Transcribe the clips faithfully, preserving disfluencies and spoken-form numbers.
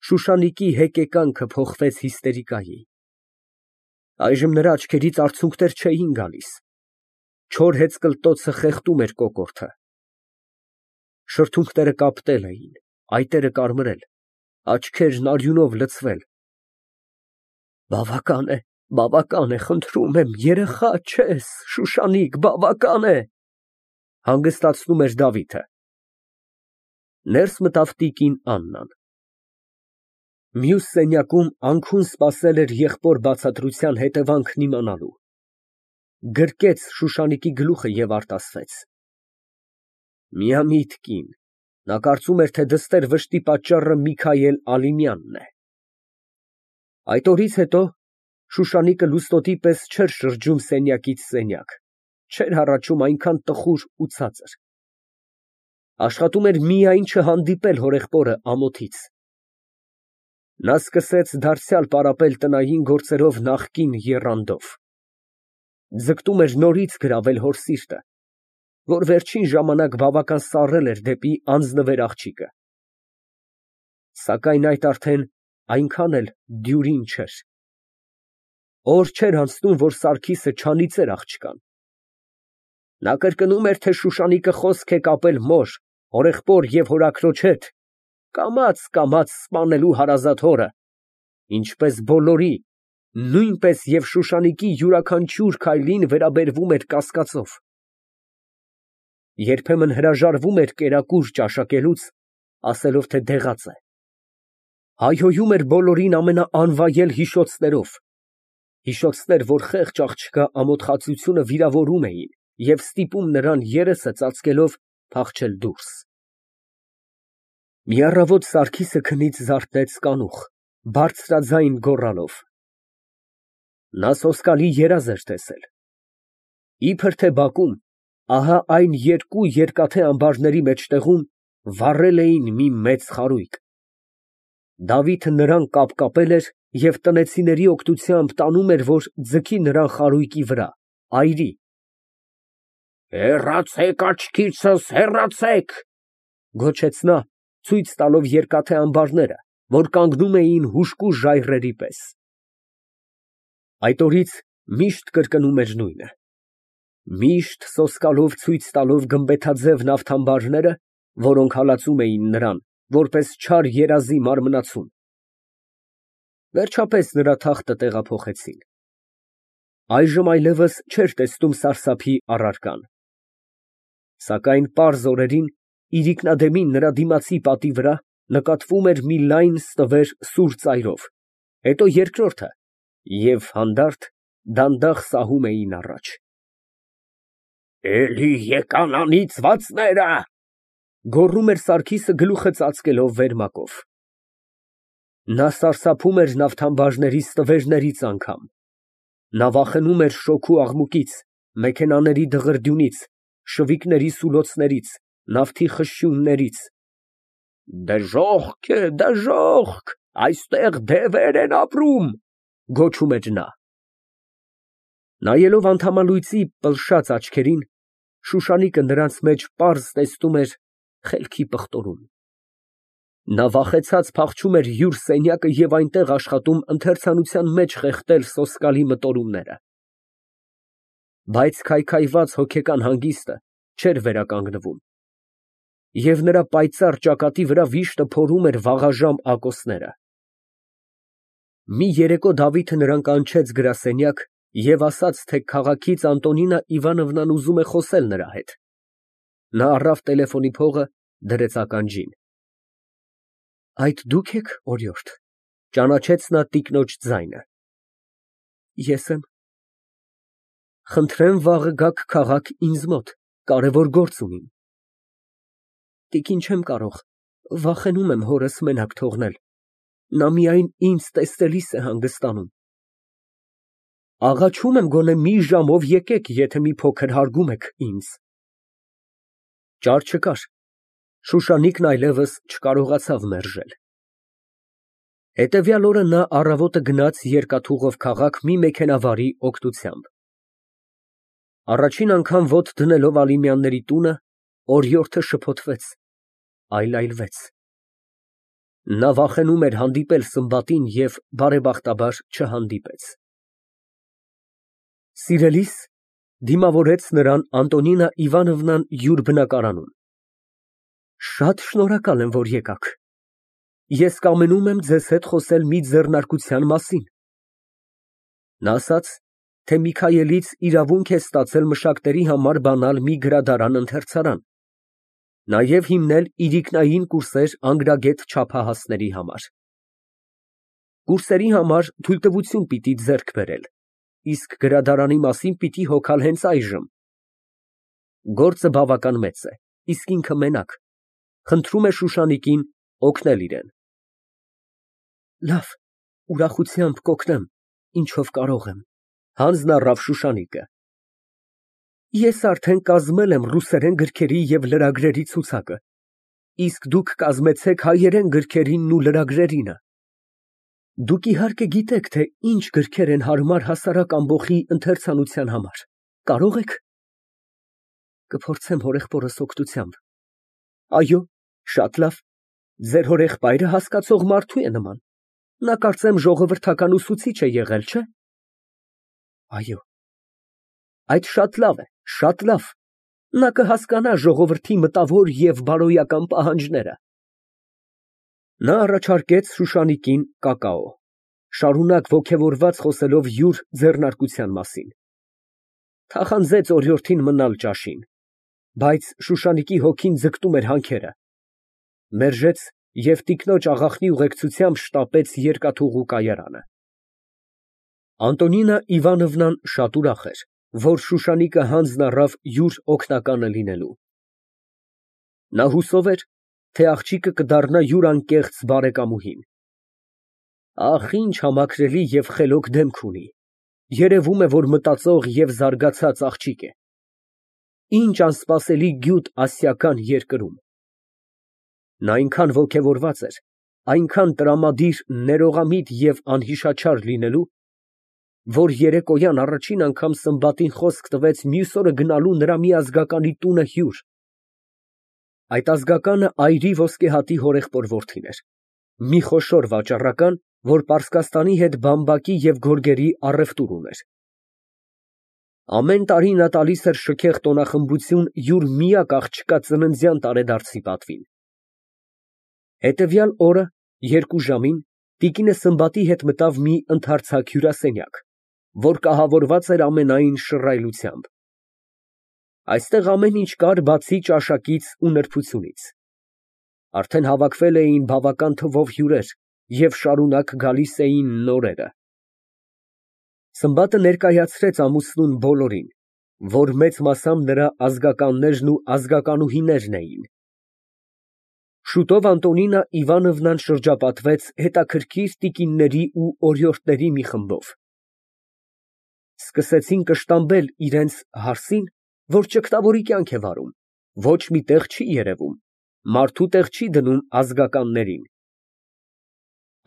Շուշանիկի հեկեկանքը փոխվեց հիստերիկայի։ Այժմ նրա աչքերից արցունքներ չէին գալիս, չոր հեծկլտոցը խեղդում էր կոկորդը։ Շրթունքները կապտել էին, այտերը կարմրել, աչքերն արյունով լցվել։ Բավական է, բավական է, խնդրում եմ, երեխա չես, Շուշանիկ, բավական է, հանգստացնում էր Դավիթը։ Ներս մտավ տիկին Աննան։ Մյուս սենյակում անքուն սպասել էր եղբոր բացատրության հետևանքն իմանալու։ Գրկեց Շուշանիկի գլուխը և արտասվեց։ Միամիտ կին, նա կարծում էր, թե դստեր վշտի պատճառը Միքայել Ալիմյանն է։ Այդ օրից հետո Շուշանիկը լուստոտի պես չէր շրջում սենյակից սենյակ, չէր հառաչում այնքան տխուր ու ցածր։ Աշխատում էր միայն չհանդիպել հորեղբորը ամոթից։ Նա սկսեց դարձյալ պարապել տնային գործերով նախկին եռանդով։ Ձգտում էր նորից գրավել հոր սիրտը, որ վերջին ժամանակ բավական սառել էր դեպի անձնվեր աղջիկը։ Սակայն այդ արդեն այնքան էլ դյուրին չէր։ Օր չէր անցնում, որ Սարգիսը չանիծեր աղջկան։ Նա կրկնում էր, թե Շուշանիկը խոսք է կապել մոր, հորեղբոր և հորաքրոջ հետ, կամաց֊կամաց սպանելու հարազատ հորը, ինչպես բոլորի, նույնպես և Շուշանիկի յուրաքանչյուր քայլին վերաբերվում էր կասկածով։ Երբեմն հրաժարվում էր կերակուր ճաշակելուց, ասելով, թե դեղած է։ Հայհոյում էր բոլորին ամենաանվայել հիշոցներով, հիշոցներ, որ խեղճ աղջկա ամոթխածությունը վիրավորում էին և ստիպում նրան երեսը ծածկելով փախչել դուրս։ Մի առավոտ Սարգիսը քնից զարթնեց կանուխ, բարձրաձայն գոռալով։ Նա սոսկալի երազ էր տեսել։ Իբր թե բակում, ահա այն երկու երկաթե ամբարների մեջտեղում վառել էին մի մեծ խարույկ։ Դավիթը նրան կապկապել էր և տնեցիների օգնությամբ տանում էր, որ ձգի նրան խարույկի վրա, այրի։ Հեռացեք աչքիցս, հեռացեք, գոչեց նա, ցույց տալով երկաթե ամբարները, որ կանգնում էին հուժկու ժայռերի պես։ Այդ օրից միշտ կրկնում էր նույնը։ Միշտ սոսկալով ցույց տալով գմբեթաձև նավթամբարները, որոնք հալածում էին նրան, որպես չար երազի մարմնացում։ Վերջապես նրա թախտը տեղափոխեցին։ Այժմ այլևս չէր տեսնում սարսափի առարկան։ Սակայն պարզ օրերին իրիկնադեմին նրա դիմացի պատի վրա նկատվում էր մի լայն ստվեր սուր ծայրով, հետո երկրորդը, և հանդարտ, դանդաղ սահում էին առաջ։ Էլի եկան անիծվածները, գոռում էր Սարգիսը գլուխը ծածկելով վերմակով։ Նա սարսափում էր նավթամբարների ստվերներից անգամ։ Նա վախենում էր շոգու աղմուկից, մեքենաների դղրդյունից, շվիկների սուլոցներից, նավթի խշշյուններից։ Դժոխք է, դժոխք, այստեղ դևեր են ապրում, գոչում էր նա։ Նայելով անդամալույծի պլշած աչքերին, Շուշանիկը նրանց մեջ պարզ տեսնում էր խելքի պղտորում։ Նա վախեցած փախչում էր յուր սենյակը և այնտեղ աշխատում ընթերցանության մեջ խեղդել սոսկալի մտորումները։ Բայց քայքայված հոգեկան հանգիստը չէր վերականգնվում, և նրա պայծառ ճակատի վրա վիշտը փորում էր վաղաժամ ակոսները։ Մի երեկո Դավիթը նրան կանչեց գրասենյակ և ասաց, թե քաղաքից Անտոնինա Իվանովնան ուզում է խոսել նրա հետ։ Նա առավ տելեֆոնի փողը, դրեց ականջին։ Այդ դու՞ք եք, օրիորդ, ճանաչեց նա տիկնոջ ձայնը։ Ես եմ։ Խնդրեմ վաղը գաք քաղաք ինձ մոտ, կարևոր գործ ունիմ։ Տիկին, չեմ կարող, վախենում եմ հորս մենակ թողնել, նա միայն ինձ տեսնելիս է հանգստանում։ Աղաչում եմ, գոնե մի ժամով եկեք, եթե մի փոքր հարգում եք ինձ։ Ճար չկար, Շուշանիկն այլևս չկարողացավ մերժել։ Հետևյալ օրը նա առավոտը գնաց երկաթուղով քաղաք մի մեքենավարի օգնությամբ։ Առաջին անգամ ոտք դնելով Ալիմյանների տունը, օրիորդը շփոթվեց, այլայլվեց։ Նա վախենում էր հանդիպել Սմբատին և բարեբախտաբար չհանդիպեց։ Սիրելի՛ս, դիմավորեց նրան Անտոնինա Իվանովնան յուր բնակարանում, շատ շնորհակալ եմ, որ եկաք, ես կամենում եմ ձեզ հետ խոսել մի ձեռնարկության մասին։ Նա ասաց, թե Միքայելից իրավունք է ստացել մշակների համար բանալ մի գրադարան֊ընթերցարան, նաև հիմնել իրիկնային կուրսեր անգրագետ չափահասների համար։ Կուրսերի համար թույլտվություն պիտի ձեռք բերել, իսկ գրադարանի մասին պիտի հոգալ հենց այժմ։ Գործը բավական մեծ է, իսկ ինքը մենակ, խնդրում է Շուշանիկին օգնել իրեն։ Լավ, ուրախությամբ կօգնեմ, ինչով կարող եմ, հանձնառավ Շուշանիկը։ Ես արդեն կազմել եմ ռուսերեն գրքերի և լրագրերի ցուցակը, իսկ դուք կազմեցեք հայերեն գրքերինն ու լրագրերինը։ Դուք իհարկե գիտեք, թե ինչ գրքեր են հարմար հասարակ ամբոխի ընթերցանության համար, կարո՞ղ եք։ Կփորձեմ հորեղբորս օգնությամբ։ Այո, շատ լավ, ձեր հորեղբայրը հասկացող մարդու է նման, նա կարծեմ ժողովրդական ուսուցիչ է եղել, չէ՞։ Այո։ Այդ շատ լավ է, շատ լավ, նա կհասկանա ժողովրդի մտավոր և բարոյական պահանջները։ Նա առաջարկեց Շուշանիկին կակաո, շարունակ ոգևորված խոսելով յուր ձեռնարկության մասին։ Թախանձեց օրիորդին մնալ ճաշին, բայց Շուշանիկի հոգին ձգտում էր հանքերը, մերժեց և տիկնոջ աղախնի ուղեկցությամբ շտապեց երկաթուղու կայարանը։ Անտոնինա Իվանովնան շատ ուրախ էր, որ Շուշանիկը հանձն առավ յուր օգնականը լինելու։ Նա հուսով էր, թե աղջիկը կդառնա յուր անկեղծ բարեկամուհին։ Ահ, ինչ համակրելի և խելոք դեմք ունի, երևում է, որ մտածող և զարգացած աղջիկ է։ Ինչ անսպասելի գյուտ ասիական երկրում։ Նա այնքան ոգևորված էր, այնքան տրամադիր, ներողամիտ և անհիշաչար լինելու, որ երեկոյան առաջին անգամ Սմբատին խոսք տվեց մյուս օրը գնալու նրա մի ազգականի տունը հյուր։ Այդ ազգականը այրի ոսկեհատի հորեղբոր որդին էր, մի խոշոր վաճառական, որ Պարսկաստանի հետ բամբակի և գորգերի առևտուր ուներ։ Ամեն տարի նա տալիս էր շքեղ տոնախմբություն յուր միակ աղջկա ծննդյան տարեդարձի պատվին։ Հետևյալ օրը երկու ժամին տիկինը Սմբատի հետ մտավ մի ընդարձակ հյուրասենյակ, որ կահավորված էր ամենայն շռայլությամբ։ Այստեղ ամեն ինչ կար, բացի ճաշակից ու նրբությունից։ Արդեն հավաքվել էին բավական թվով հյուրեր և շարունակ գալիս էին նորերը։ Սմբատը ներկայացրեց ամուսնուն բոլորին, որ մեծ մասամբ նրա ազգականներն ու ազգականուհիներն էին։ Շուտով Անտոնինա Իվանովնան շրջապատվեց հետաքրքիր տիկինների ու օրիորդների մի խմբով։ Սկսեցին կշտամբել իրենց հարսին, որ ճգտավորի կյանք է վարում, ոչ մի տեղ չի երևում, մարդու տեղ չի դնում ազգականներին։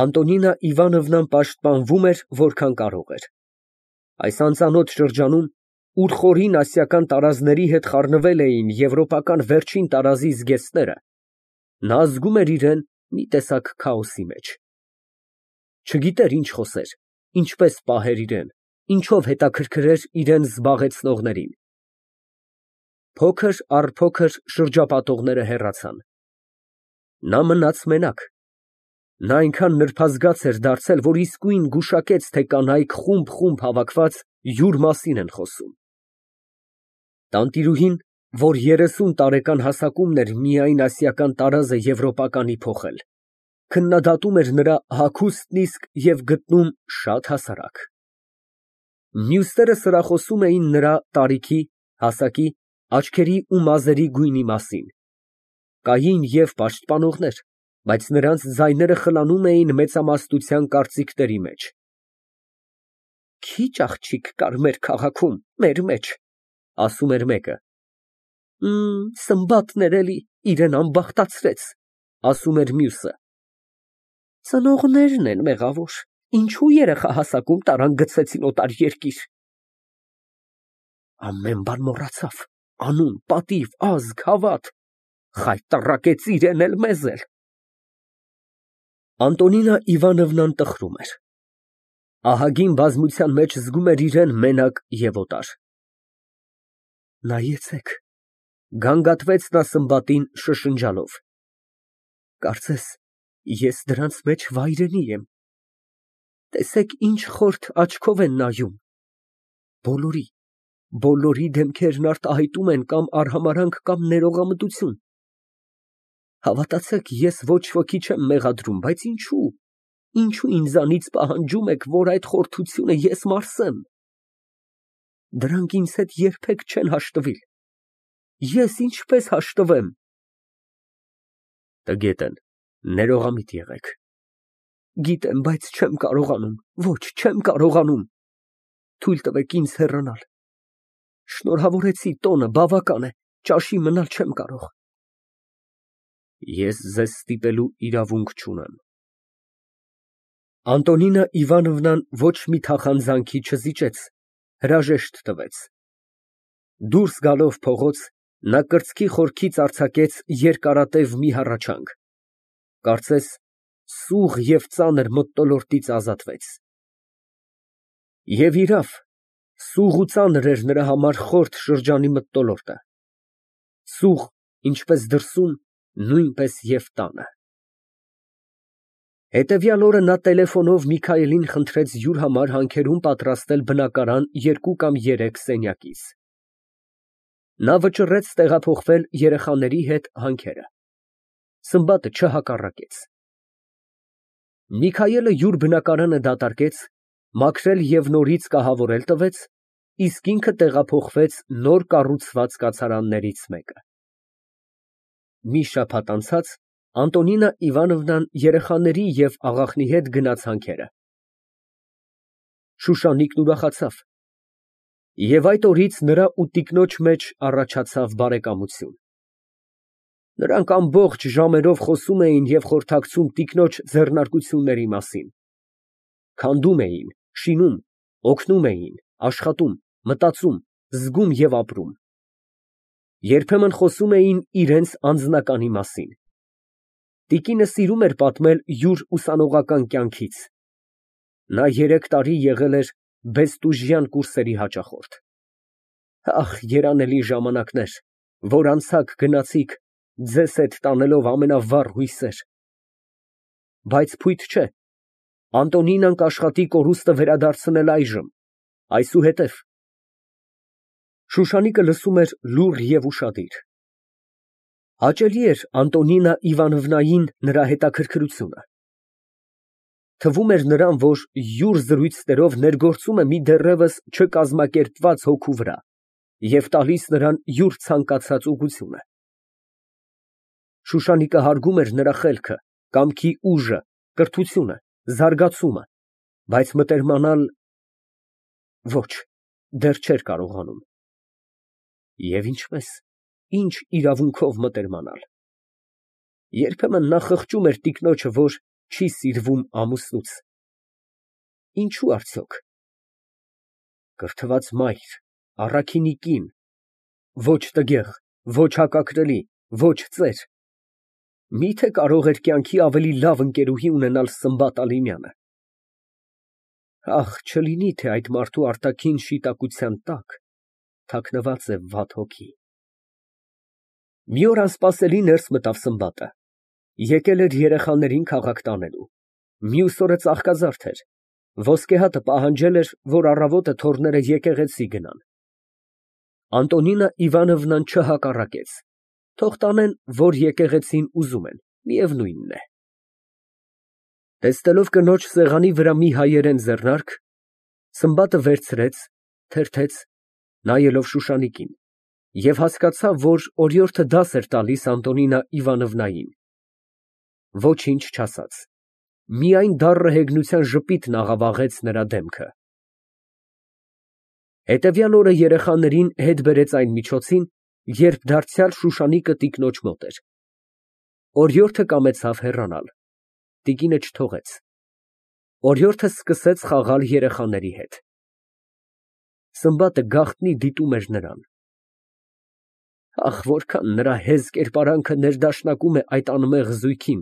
Անտոնինա Իվանովնան պաշտպանվում էր, որքան կարող էր։ Այս անծանոթ շրջանում, ուր խորին ասիական տարազների հետ խառնվել էին եվրոպական վերջին տարազի զգեստները, նա զգում էր իրան մի տեսակ քաոսի մեջ։ Չգիտեր ինչ խոսեր, ինչպես պահեր իրան, ինչով հետաքրքրեր իրան զբաղեցնողներին։ Փոքր առ փոքր շրջապատողները հեռացան։ Նա մնաց մենակ։ Նա այնքան նրբազգաց էր դարձել, որ իսկույն գուշակեց, թե կանայք խումբ֊խումբ հավաքված յուր մասին են խոսում։ Տանտիրուհին, որ երեսուն տարեկան հասակումն էր միայն ասիական տարազը եվրոպականի փոխել, քննադատում էր նրա հագուստն իսկ և գտնում շատ հասարակ։ Մյուսները սրախոսում էին նրա տարիքի, հասակի, աչքերի ու մազերի գույնի մասին։ Կային և պաշտպանողներ, բայց նրանց ձայները խլանում էին մեծամասնության կարծիքների մեջ։ Քիչ աղջիկ կար մեր քաղաքում, մեր մեջ, ասում էր մեկը։ Սմբատն էր էլի, իրան ամբախտացրեց, ասում էր մյուսը։ Ծնողներն են մեղավոր, ինչու երեխահասակում տարան գցեցին օտար երկիր։ Ամեն բան մոռացավ, անուն, պատիվ, ազգ, հավատ, խայտառակեց իրեն էլ, մեզ էլ։ Անտոնինա Իվանովնան տխրում էր։ Ահագին բազմության մեջ զգում էր իրան մենակ և օտար։ Նայեցեք, գանգատվեց նա Սմբատին շշնջալով, կարծես ես դրանց մեջ վայրենի եմ, տեսեք ինչ խորթ աչքով են նայում, բոլորի, բոլորի դեմքերն արտահայտում են կամ արհամարհանք, կամ ներողամտություն, հավատացեք, ես ոչ ոքի չեմ մեղադրում, բայց ինչո՞ւ, ինչո՞ւ ինձանից պահանջում եք, որ այդ խորթությունը ես մարսեմ, դրանք ինձ հետ երբեք չեն հաշտվիլ, ես ինչպես հաշտվեմ։ Տգետ են, ներողամիտ եղեք։ Գիտեմ, բայց չեմ կարողանում, ոչ, չեմ կարողանում, թույլ տվեք ինձ հեռանալ, շնորհավորեցի տոնը, բավական է, ճաշի մնալ չեմ կարող։ Ես ձեզ ստիպելու իրավունք չունեմ։ Անտոնինա Իվանովնան ոչ մի թախանձանքի չզիջեց, հրաժեշտ տվեց։ Դուրս գալով փողոց, նա կրծքի խորքից արձակեց երկարատև մի հառաչանք, կարծես սուղ և ծանր մթնոլորտից ազատվեց։ Եվ իրավ, սուղ ու ծանր էր նրա համար խորթ շրջանի մթնոլորտը, սուղ, ինչպես դրսում, նույնպես և տանը։ Հետևյալ օրը նա տելեֆոնով Միքայելին խնդրեց յուր համար հանքերում պատրաստել բնակարան երկու կամ երեք սենյակից։ Նա վճռեց տեղափոխվել երեխաների հետ հանքերը։ Սմբատը չհակառակեց։ Միքայելը յուր բնակարանը դատարկեց, մաքրել և նորից կահավորել տվեց, իսկ ինքը տեղափոխվեց նոր կառուցված կացարաններից մեկը։ Մի շաբաթ անցած Անտոնինա Իվանովնան երեխաների և աղախնի հետ գնաց հանքերը։ Շուշանիկն ուրախացավ, և այդ օրից նրա ու տիկնոջ մեջ առաջացավ բարեկամություն։ Նրանք ամբողջ ժամերով խոսում էին և խորհրդակցում տիկնոջ ձեռնարկությունների մասին, քանդում էին, շինում, օգնում էին, աշխատում, մտածում, զգում և ապրում։ Երբեմն խոսում էին իրենց անձնականի մասին։ Տիկինը սիրում էր պատմել յուր ուսանողական կյանքից։ Նա երեք տարի եղել էր բեստուժյան կուրսերի հաճախորդ։ Ախ, երանելի ժամանակներ, որ անցաք գնացիք, ձեզ հետ տանելով ամենավառ հույսեր։ Բայց փույթ չէ, Անտոնինան կաշխատի կորուստը վերադարձնել այժմ, այսուհետև։ Շուշանիկը լսում էր լուռ և ուշադիր։ Հաճելի էր Անտոնինա Իվանովնային նրա հետաքրքրությունը։ Թվում էր նրան, որ յուր զրույցներով ներգործում է մի դեռևս չկազմակերպված հոգու վրա և տալիս նրան յուր ցանկացած ուղղությունը։ Շուշանիկը հարգում էր նրա խելքը, կամքի ուժը, կրթությունը, զարգացումը, բայց մտերմանալ… ոչ, դեռ չէր կարողանում։ Եվ ինչպես, ինչ իրավունքով մտերմանալ։ Երբեմն նա խղճում էր տիկնոջը, որ չի սիրվում ամուսնուց։ Ինչո՞ւ արդյոք։ Կրթված մայր, առաքինի կին, ոչ տգեղ, ոչ հակակրելի, ոչ ծեր, մի՞թե կարող էր կյանքի ավելի լավ ընկերուհի ունենալ Սմբատ Ալինյանը։ Ախ, չլինի թե այդ մարդու արտաքին շիտակության տակ թաքնված է վատ հոգի։ Մի օր անսպասելի ներս մտավ Սմբատը, եկել էր երեխաներին քաղաք տանելու, մյուս օրը ծաղկազարդ էր, ոսկե հատը պահանջել էր, որ առավոտը թոռները եկեղեցի գնան։ Անտոնինա Իվանովնան չհակառակեց, թող տանեն, որ եկեղեցին ուզում են, միևնույնն է։ Տեսնելով կնոջ սեղանի վրա մի հայերեն ձեռնարկ, Սմբատը վերցրեց, թերթեց, նայելով Շուշանիկին, և հասկացավ, որ օրիորդը դաս էր տալիս Անտոնինա Իվանովնային։ Ոչինչ չասաց, միայն դառը հեգնության ժպիտն աղավաղեց նրա դեմքը։ Հետևյալ օրը երեխաներին հետ բերեց այն միջոցին, երբ դարձյալ Շուշանիկը տիկնոջ մոտ էր։ Օրիորդը կամեցավ հեռանալ, տիկինը չթողեց։ Օրիորդը սկսեց խաղալ երեխաների հետ։ Սմբատը գաղտնի դիտում էր նրան։ Ախ, որքան նրա հեզ կերպարանքը ներդաշնակում է այդ անմեղ զույգին։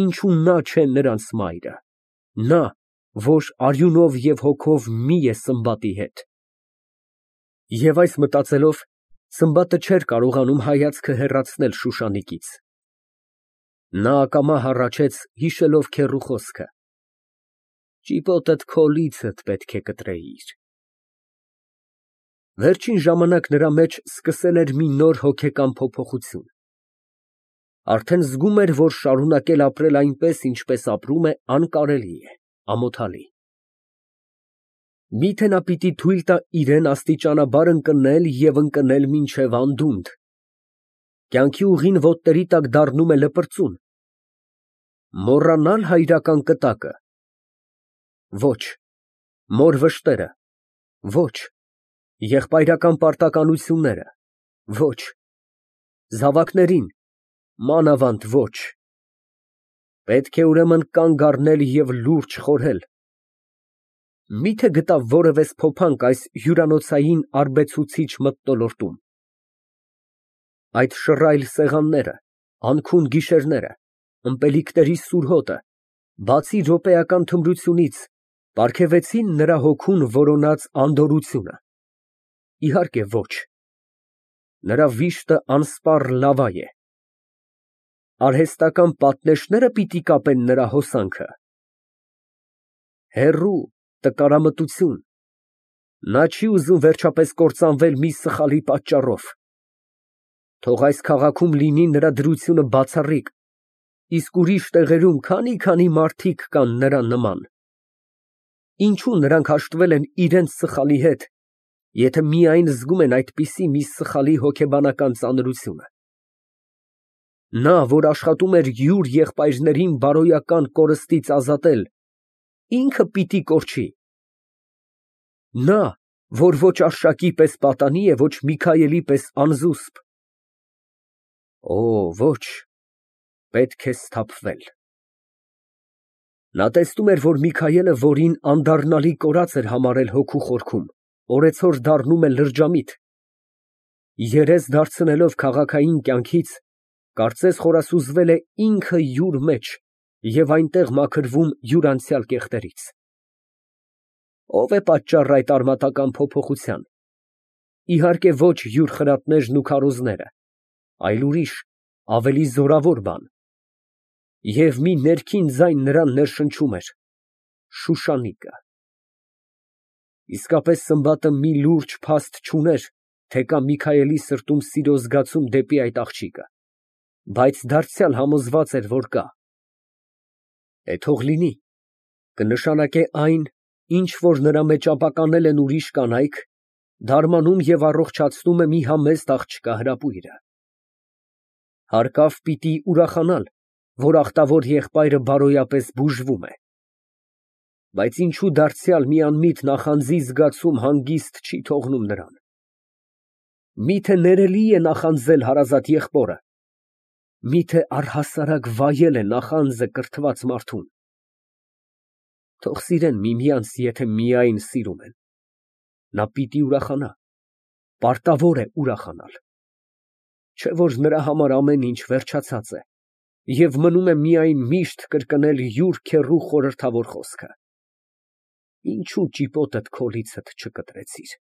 ինչու նա չէ նրանց մայրը, նա, որ արյունով և հոգով մի է Սմբատի հետ։ Եվ այս մտածելով, Սմբատը չէր կարողանում հայացքը հեռացնել Շուշանիկից։ Նա ակամա հառաչեց, հիշելով քեռու խոսքը. «Ճիպոտդ քո լիցդ պետք է կտրեիր»։ Վերջին ժամանակ նրա մեջ սկսել էր մի նոր հոգեկան փոփոխություն։ Արդեն զգում էր, որ շարունակել ապրել այնպես, ինչպես ապրում է, անկարելի է, ամոթալի։ Միթե նա պիտի թույլ տա իրան աստիճանաբար ընկնել և ընկնել մինչև անդունդ։ Կյանքի ուղին ոտների տակ դառնում է լպրծուն։ Մոռանալ հայրական կտակը։ Ոչ, մոր վշտերը։ Ոչ, եղբայրական պարտականությունները։ Ոչ, զավակներին, մանավանդ ոչ։ Պետք է ուրեմն կանգ առնել և լուրջ խորհել։ Մի՞թե գտավ որևէ սփոփանք այս հյուրանոցային արբեցուցիչ մթնոլորտում։ Այդ շռայլ սեղանները, անքուն գիշերները, ըմպելիքների սուր հոտը, բացի րոպեական թմրությունից, պարգևեցի՞ն նրա հոգուն որոնած անդորրությունը։ Իհարկե ոչ։ Նրա վիշտը անսպառ լավա է։ Արհեստական պատնեշնե՞րը պիտի կապեն նրա հոսանքը։ Հեռու, տկարամտություն։ Նա չի ուզում վերջապես կործանվել մի սխալի պատճառով։ Թող այս քաղաքում լինի նրա դրությունը բացառիկ, իսկ ուրիշ տեղերում քանի՞֊քանի մարդիկ կան նրա նման։ Ինչո՞ւ նրանք հաշտվել են իրենց սխալի հետ, եթե միայն զգում են այդպիսի մի սխալի հոգեբանական ծանրությունը։ Նա, որ աշխատում էր յուր եղբայրներին բարոյական կորստից ազատել, ինքը պիտի կորչի։ Նա, որ ոչ Արշակի պես պատանի է, ոչ Միքայելի պես անզուսպ։ Օ, ոչ, պետք է սթափվել։ Նա տեսնում էր, որ Միքայելը, որին անդառնալի կորած էր համարել հոգու խորքում, օրեցօր դառնում է լրջամիտ։ Երես դարձնելով քաղաքային կյանքից, կարծես խորասուզվել է ինքը յուր մեջ և այնտեղ մաքրվում յուր անցյալ կեղտերից։ Ո՞վ է պատճառը այդ արմատական փոփոխության։ Իհարկե ոչ յուր խրատներն ու քարոզները, այլ ուրիշ, ավելի զորավոր բան։ Եվ մի ներքին ձայն նրան ներշնչում էր. Շուշանիկը։ Իսկապես Սմբատը մի լուրջ փաստ չուներ, թե կա Միքայելի սրտում սիրո զգացում դեպի այդ աղջիկը, բայց դարձյալ համոզված էր, որ կա։ Է, թող լինի, կնշանակե այն, ինչ որ նրա մեջ ապականել են ուրիշ կանայք, դարմանում և առողջացնում է մի համեստ աղջկա հրապույրը։ Հարկավ պիտի ուրախանալ, որ ախտավոր եղբայրը բարոյապես բուժվում է։ Բայց ինչու դարձյալ մի անմիտ նախանձի զգացում հանգիստ չի թողնում նրան։ Միթե ներելի է նախանձել հարազատ եղբորը։ Միթե առհասարակ վայել է նախանձը կրթված մարդուն։ Թող սիրեն միմյանց, եթե միայն սիրում են։ Նա պիտի ուրախանա, պարտավոր է ուրախանալ։ Չէ՞ որ նրա համար ամեն ինչ վերջացած է, և մնում է միայն միշտ կրկնել յուր քեռու խորհրդավոր խոսքը. «Ինչո՞ւ ճիպոտդ քո լիցդ չկտրեցիր»։